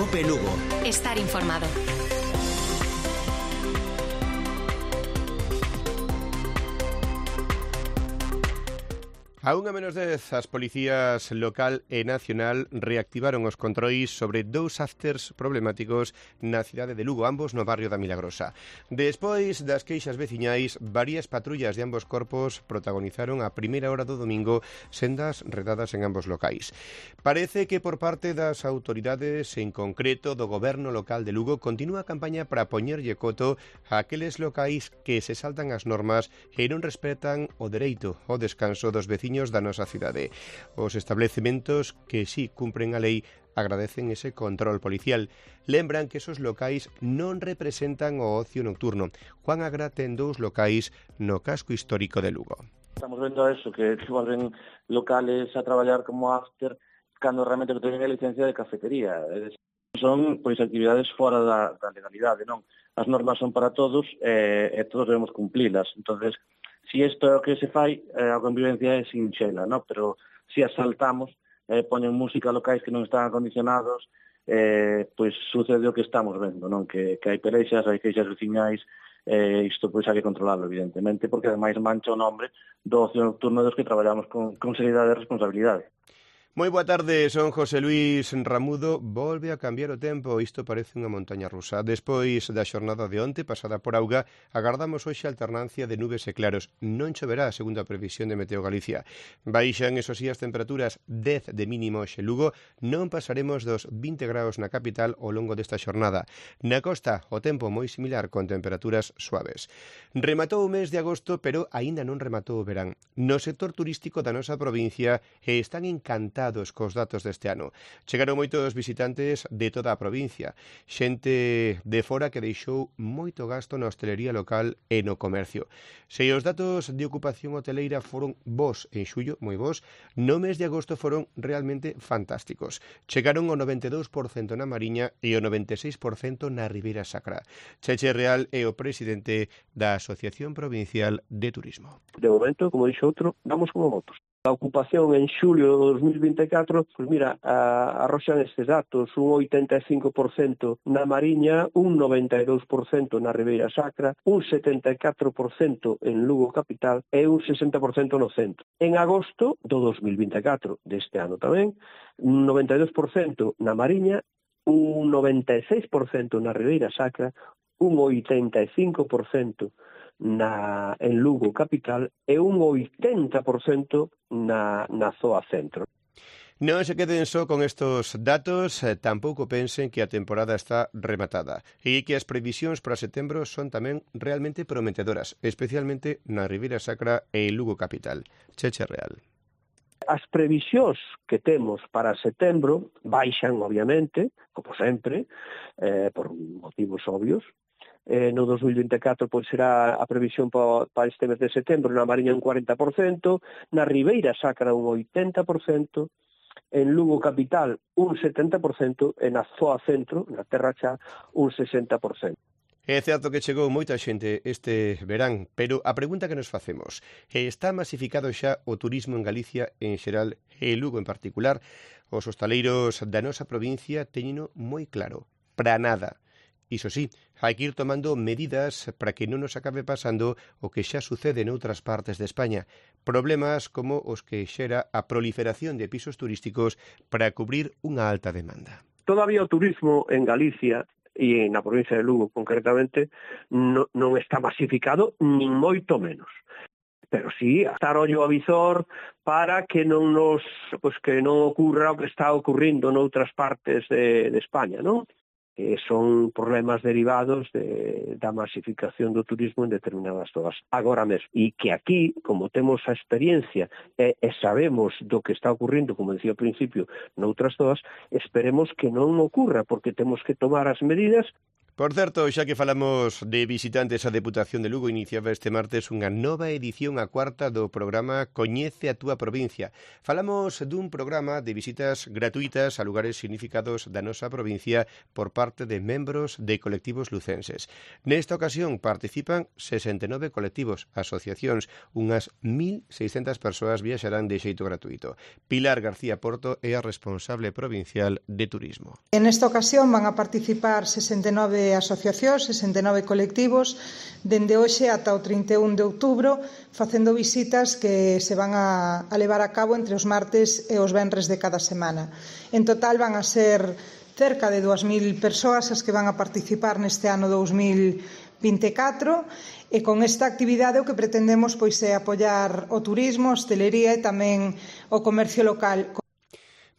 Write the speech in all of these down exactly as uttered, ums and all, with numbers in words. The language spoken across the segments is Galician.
Cope Lugo. Estar informado. A unha menos dez, as policías local e nacional reactivaron os controis sobre dous afters problemáticos na cidade de Lugo, ambos no barrio da Milagrosa. Despois das queixas veciñais, varias patrullas de ambos corpos protagonizaron a primeira hora do domingo sendas redadas en ambos locais. Parece que por parte das autoridades, en concreto do goberno local de Lugo, continúa a campaña para poñerlle coto a aqueles locais que se saltan as normas e non respetan o dereito ao descanso dos veciños da nosa cidade. Os establecementos que sí cumpren a lei agradecen ese control policial. Lembran que esos locais non representan o ocio nocturno. Juan Agra ten dous locais no casco histórico de Lugo. Estamos vendo eso, que, que volven locales a traballar como after cando realmente que teñen a licencia de cafetería. Son pois actividades fora da, da legalidade, non? As normas son para todos e, e todos debemos cumplilas. Entonces, si isto é o que se fai, eh, a convivencia é sinxela, no? Pero si asaltamos, eh, poñen música locais que non están acondicionados, eh, pois sucede o que estamos vendo, non? Que, que hai pelexas, hai queixas veciñais, eh, isto pois hai que controlarlo, evidentemente, porque ademais mancha o nombre do ocio nocturno dos que traballamos con, con seriedade e responsabilidade. Moi boa tarde, son José Luis Ramudo. Volve a cambiar o tempo, isto parece unha montaña rusa. Despois da xornada de onte, pasada por auga, agardamos hoxe alternancia de nubes e claros. Non choverá, segundo a previsión de Meteo Galicia. Baixan, eso sí, as temperaturas dez de mínimo hoxe Lugo. Non pasaremos dos vinte graus na capital ao longo desta xornada. Na costa, o tempo moi similar, con temperaturas suaves. Rematou o mes de agosto, pero aínda non rematou o verán. No sector turístico da nosa provincia están encantados cos datos deste ano. Chegaron moitos visitantes de toda a provincia, xente de fora que deixou moito gasto na hostelería local e no comercio. Se os datos de ocupación hoteleira foron bons en xullo, moi bons, no mes de agosto foron realmente fantásticos. Chegaron o noventa e dous por cento na Mariña e o noventa e seis por cento na Ribeira Sacra. Cheche Real é o presidente da Asociación Provincial de Turismo. De momento, como dixo outro, vamos como motos. A ocupación en xulio de dos mil vinte e catro, pois mira, arroxan estes datos, un oitenta e cinco por cento na Mariña, un noventa e dous por cento na Ribeira Sacra, un setenta e catro por cento en Lugo capital e un sesenta por cento no centro. En agosto do dos mil vinte e catro, deste ano tamén, un noventa e dous por cento na Mariña, un noventa e seis por cento na Ribeira Sacra, un oitenta e cinco por cento na, en Lugo capital e un oitenta por cento na, na zoa centro. Non se queden só con estos datos, eh, tampouco pensen que a temporada está rematada e que as previsións para setembro son tamén realmente prometedoras, especialmente na Ribeira Sacra e Lugo capital. Cheche Real. As previsións que temos para setembro baixan, obviamente, como sempre, eh, por motivos obvios. Eh, no dos mil vinte e catro pois será a previsión para, para este mes de setembro na Mariña un cuarenta por cento, na Ribeira Sacra un oitenta por cento, en Lugo capital un setenta por cento e na zoa centro, na Terra Chá, un sesenta por cento. É certo que chegou moita xente este verán, pero a pregunta que nos facemos, está masificado xa o turismo en Galicia en xeral e Lugo en particular? Os hostaleiros da nosa provincia teñeno moi claro, para nada. Iso sí, hai que ir tomando medidas para que non nos acabe pasando o que xa sucede noutras partes de España. Problemas como os que xera a proliferación de pisos turísticos para cubrir unha alta demanda. Todavía o turismo en Galicia e na provincia de Lugo concretamente no, non está masificado nin moito menos. Pero sí, estar ollo a visor para que non nos, pues que non ocurra o que está ocurrindo noutras partes de, de España, non? Eh, son problemas derivados de, da masificación do turismo en determinadas zonas agora mesmo. E que aquí, como temos a experiencia e, e sabemos do que está ocurrindo, como decía ao principio, noutras zonas, esperemos que non ocurra, porque temos que tomar as medidas Por certo, xa que falamos de visitantes, a Deputación de Lugo iniciaba este martes unha nova edición, a cuarta do programa Coñece a túa provincia. Falamos dun programa de visitas gratuitas a lugares significados da nosa provincia por parte de membros de colectivos lucenses. Nesta ocasión participan sesenta e nove colectivos, asociacións, unhas mil seiscentas persoas viaxarán de xeito gratuito. Pilar García Porto é a responsable provincial de turismo. En esta ocasión van a participar sesenta e nove asociacións, sesenta e nove colectivos, dende hoxe ata o trinta e un de outubro, facendo visitas que se van a, a levar a cabo entre os martes e os venres de cada semana. En total van a ser cerca de dúas mil persoas as que van a participar neste ano dous mil vinte e catro, e con esta actividade o que pretendemos pois é apoiar o turismo, a hostelería e tamén o comercio local.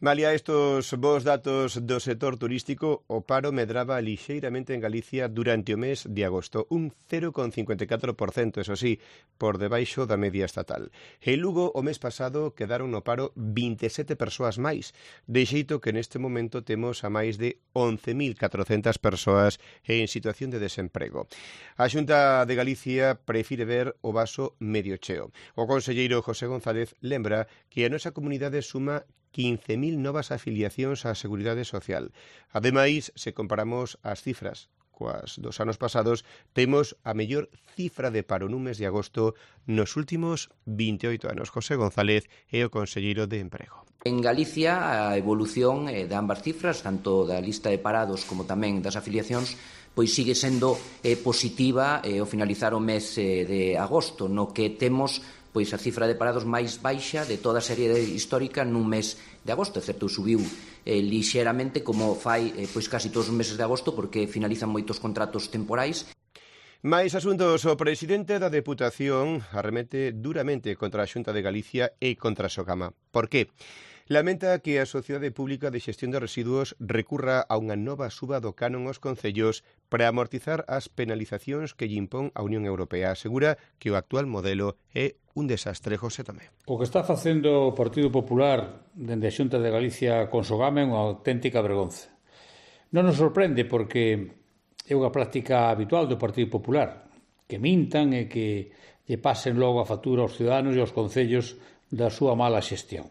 Malia estos bons datos do sector turístico, o paro medraba lixeiramente en Galicia durante o mes de agosto, un cero coma cincuenta e catro por cento, eso sí, por debaixo da media estatal. En Lugo, o mes pasado, quedaron no paro vinte e sete persoas máis, de xeito que neste momento temos a máis de once mil catrocentas persoas en situación de desemprego. A Xunta de Galicia prefire ver o vaso medio cheo. O conselleiro José González lembra que a nosa comunidade suma quince mil novas afiliacións á Seguridade Social. Ademais, se comparamos as cifras coas dos anos pasados, temos a mellor cifra de paro nun mes de agosto nos últimos vinte e oito anos. José González é o conselleiro de Emprego. En Galicia, a evolución de ambas cifras, tanto da lista de parados como tamén das afiliacións, pois sigue sendo eh, positiva eh, ao finalizar o mes eh, de agosto, no que temos pois a cifra de parados máis baixa de toda a serie histórica nun mes de agosto. É certo, subiu eh, lixeramente como fai eh, pois casi todos os meses de agosto, porque finalizan moitos contratos temporais. Mais asuntos, o presidente da Deputación arremete duramente contra a Xunta de Galicia e contra a Sogama. Por que? Lamenta que a Sociedade Pública de Xestión de Residuos recurra a unha nova suba do canon aos concellos para amortizar as penalizacións que lle impón a Unión Europea. Asegura que o actual modelo é un desastre. José Tomé. O que está facendo o Partido Popular dende a Xunta de Galicia con Sogama é unha auténtica vergonza. Non nos sorprende porque é unha práctica habitual do Partido Popular, que mintan e que lle pasen logo a factura aos ciudadanos e aos concellos da súa mala xestión.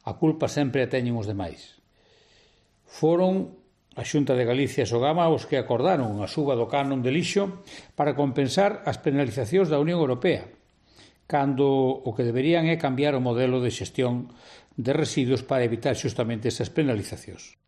A culpa sempre a teñen os demais. Foron a Xunta de Galicia e Sogama os que acordaron a suba do canon de lixo para compensar as penalizacións da Unión Europea, cando o que deberían é cambiar o modelo de xestión de residuos para evitar xustamente esas penalizacións.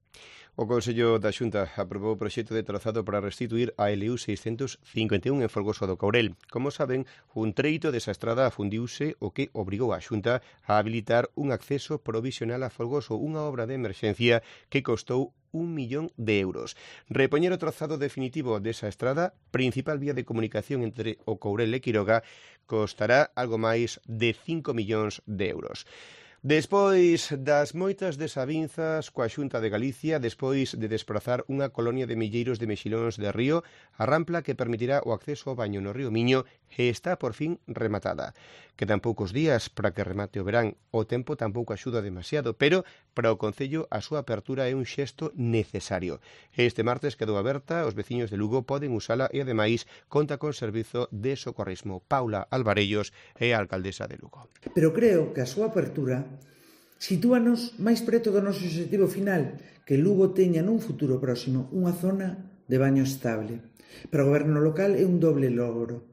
O Consello da Xunta aprobou o proxecto de trazado para restituir a L U seiscentos cincuenta e un en Folgoso do Courel. Como saben, un treito desa estrada afundiuse, o que obrigou a Xunta a habilitar un acceso provisional a Folgoso, unha obra de emerxencia que costou un millón de euros. Repoñer o trazado definitivo desa estrada, principal vía de comunicación entre o Courel e Quiroga, costará algo máis de cinco millóns de euros. Despois das moitas desavinzas coa Xunta de Galicia, despois de desprazar unha colonia de milleiros de mexilóns de río, a rampla que permitirá o acceso ao baño no río Miño está por fin rematada. Quedan poucos días para que remate o verán. O tempo tampouco axuda demasiado, pero para o Concello a súa apertura é un xesto necesario. Este martes quedou aberta, os veciños de Lugo poden usala e, ademais, conta con servizo de socorrismo. Paula Alvarellos é a alcaldesa de Lugo. Pero creo que a súa apertura sitúanos máis preto do noso objetivo final, que Lugo teña nun futuro próximo unha zona de baño estable. Para o goberno local é un doble logro.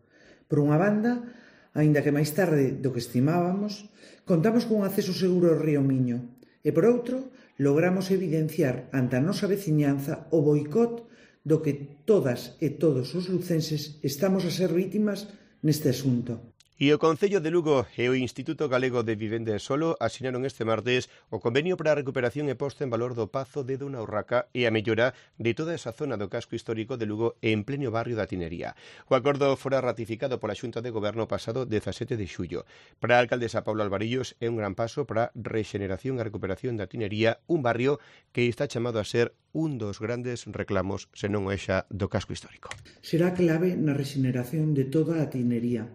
Por unha banda, aínda que máis tarde do que estimábamos, contamos con un acceso seguro ao río Miño e, por outro, logramos evidenciar ante a nosa veciñanza o boicot do que todas e todos os lucenses estamos a ser vítimas neste asunto. E o Concello de Lugo e o Instituto Galego de Vivenda e Solo asinaron este martes o convenio para a recuperación e posta en valor do Pazo de Dona Urraca e a mellora de toda esa zona do casco histórico de Lugo en pleno barrio da Tinería. O acordo fora ratificado pola Xunta de Goberno pasado dezasete de xullo. Para a alcaldesa Paula Alvarillos é un gran paso para a rexeneración e recuperación da Tinería, un barrio que está chamado a ser un dos grandes reclamos, senón o xa do casco histórico. Será clave na rexeneración de toda a Tinería.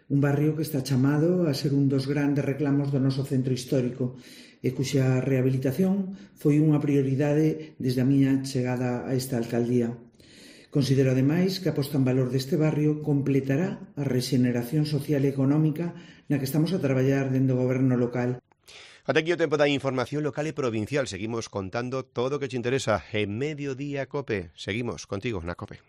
Un barrio que está chamado a ser un dos grandes reclamos do noso centro histórico e cuxa rehabilitación foi unha prioridade desde a miña chegada a esta alcaldía. Considero, ademais, que a posta en valor deste barrio completará a rexeneración social e económica na que estamos a traballar dende o goberno local. Ata aquí o tempo da información local e provincial. Seguimos contando todo o que te interesa en Mediodía Cope. Seguimos contigo na Cope.